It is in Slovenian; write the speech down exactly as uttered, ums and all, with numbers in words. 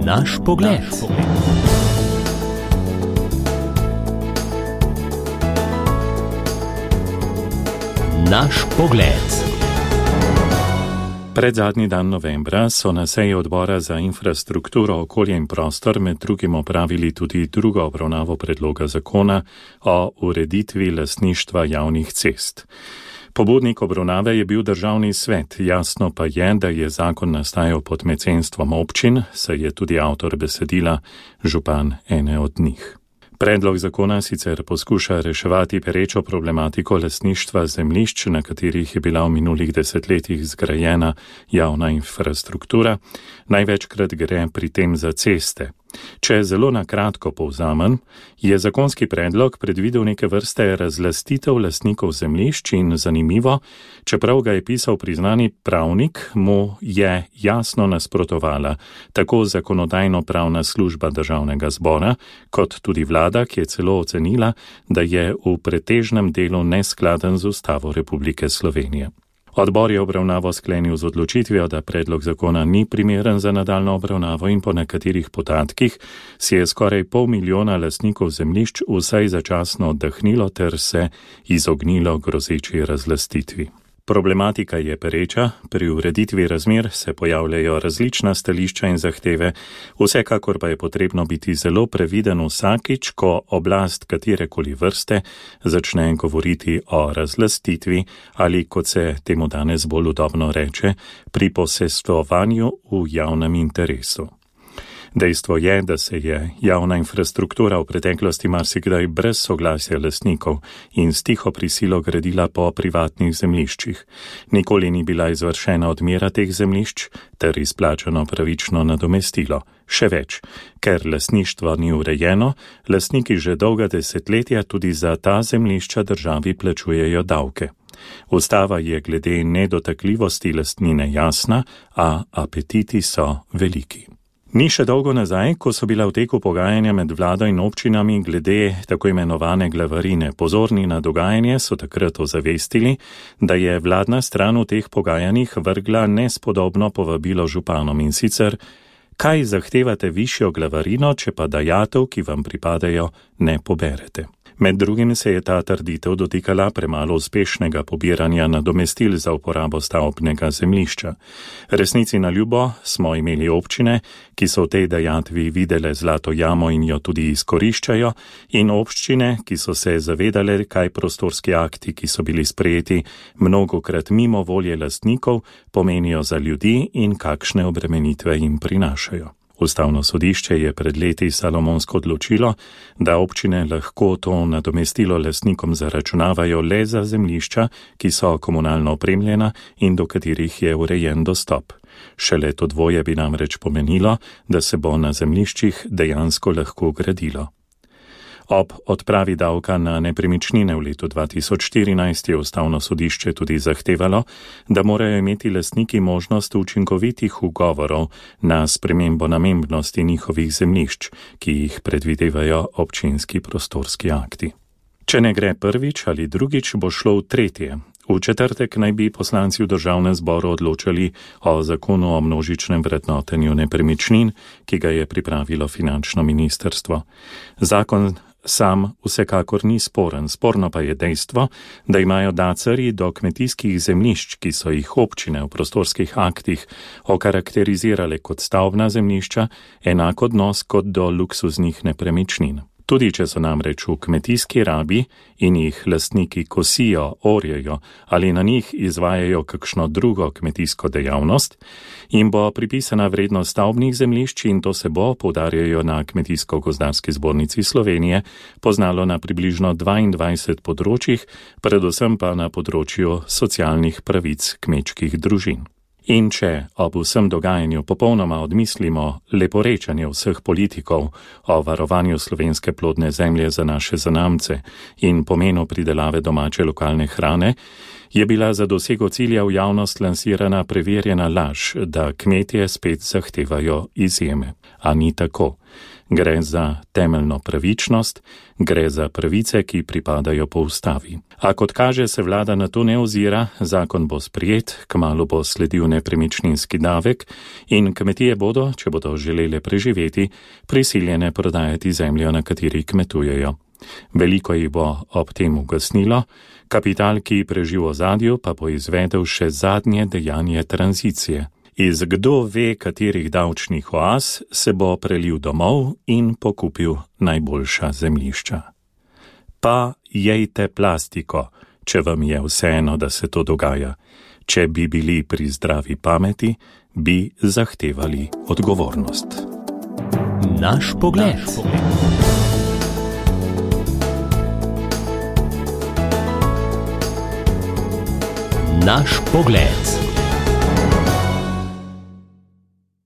Naš pogled. Naš pogled. Predzadnji dan novembra so na seji odbora za infrastrukturo, okolje in prostor med drugim opravili tudi drugo obravnavo predloga zakona o ureditvi lastništva javnih cest. Pobudnik obravnave je bil državni svet, jasno pa je, da je zakon nastajal pod mecenstvom občin, saj je tudi avtor besedila župan ene od njih. Predlog zakona sicer poskuša reševati perečo problematiko lastništva zemljišč, na katerih je bila v minulih desetletjih zgrajena javna infrastruktura, največkrat gre pri tem za ceste. Če zelo na kratko povzamem, je zakonski predlog predvidel neke vrste razlastitev lastnikov zemljišč in zanimivo, čeprav ga je pisal priznani pravnik, mu je jasno nasprotovala tako zakonodajno-pravna služba državnega zbora, kot tudi vlada, ki je celo ocenila, da je v pretežnem delu neskladen z Ustavo Republike Slovenije. Odbor je obravnavo sklenil z odločitvijo, da predlog zakona ni primeren za nadaljno obravnavo in po nekaterih podatkih si je skoraj pol milijona lastnikov zemljišč vsaj začasno oddahnilo ter se izognilo grozeči razlastitvi. Problematika je pereča, pri ureditvi razmer se pojavljajo različna stališča in zahteve, vsekakor pa je potrebno biti zelo previden vsakič, ko oblast katerekoli vrste začne govoriti o razlastitvi ali, kot se temu danes bolj udobno reče, pri posestovanju v javnem interesu. Dejstvo je, da se je javna infrastruktura v preteklosti marsikdaj brez soglasja lastnikov in s tiho prisilo gradila po privatnih zemljiščih. Nikoli ni bila izvršena odmera teh zemljišč ter izplačano pravično nadomestilo. Še več, ker lastništvo ni urejeno, lastniki že dolga desetletja tudi za ta zemljišča državi plačujejo davke. Ustava je glede nedotakljivosti lastnine jasna, a apetiti so veliki. Ni še dolgo nazaj, ko so bila v teku pogajanja med vlado in občinami glede tako imenovane glavarine. Pozorni na dogajanje so takrat ozavestili, da je vladna stran v teh pogajanjih vrgla nespodobno povabilo županom in sicer, kaj zahtevate višjo glavarino, če pa dajatev, ki vam pripadajo, ne poberete. Med drugim se je ta trditev dotikala premalo uspešnega pobiranja nadomestil za uporabo stavbnega zemljišča. Resnici na ljubo smo imeli občine, ki so v tej dajatvi videle zlato jamo in jo tudi izkoriščajo, in občine, ki so se zavedale, kaj prostorski akti, ki so bili sprejeti mnogokrat mimo volje lastnikov, pomenijo za ljudi in kakšne obremenitve jim prinašajo. Ustavno sodišče je pred leti salomonsko odločilo, da občine lahko to nadomestilo lastnikom zaračunavajo le za zemljišča, ki so komunalno opremljena in do katerih je urejen dostop. Šele to dvoje bi namreč pomenilo, da se bo na zemljiščih dejansko lahko gradilo. Ob odpravi davka na nepremičnine v letu dva tisoč štirinajst je Ustavno sodišče tudi zahtevalo, da morajo imeti lastniki možnost učinkovitih ugovorov na spremembo namembnosti njihovih zemljišč, ki jih predvidevajo občinski prostorski akti. Če ne gre prvič ali drugič, bo šlo v tretje. V četrtek naj bi poslanci v državnem zboru odločali o zakonu o množičnem vrednotenju nepremičnin, ki ga je pripravilo finančno ministrstvo. Zakon sam vsekakor ni sporen, sporno pa je dejstvo, da imajo dacarji do kmetijskih zemljišč, ki so jih občine v prostorskih aktih okarakterizirale kot stavbna zemljišča, enak odnos kot do luksuznih nepremičnin. Tudi če so namreč v kmetijski rabi in jih lastniki kosijo, orjejo ali na njih izvajajo kakšno drugo kmetijsko dejavnost, jim bo pripisana vrednost stavbnih zemljišč in to se bo, poudarjajo na Kmetijsko-gozdarski zbornici Slovenije, poznalo na približno dvaindvajsetih področjih, predvsem pa na področju socialnih pravic kmečkih družin. In če ob vsem dogajanju popolnoma odmislimo leporečanje vseh politikov o varovanju slovenske plodne zemlje za naše zanamce in pomenu pridelave domače lokalne hrane, je bila za dosego cilja v javnost lansirana preverjena laž, da kmetje spet zahtevajo izjeme. A ni tako. Gre za temeljno pravičnost, gre za pravice, ki pripadajo po ustavi. A kot kaže, se vlada na to ne ozira, zakon bo sprijet, kmalu bo sledil nepremičninski davek in kmetije bodo, če bodo želele preživeti, prisiljene prodajati zemljo, na kateri kmetujejo. Veliko jih bo ob tem ugasnilo, kapital, ki preži v ozadju, pa bo izvedel še zadnje dejanje tranzicije. Iz kdo ve katerih davčnih oaz se bo prelil domov in pokupil najboljša zemljišča. Pa jejte plastiko, če vam je vseeno, da se to dogaja. Če bi bili pri zdravi pameti, bi zahtevali odgovornost. Naš pogled. Naš pogled.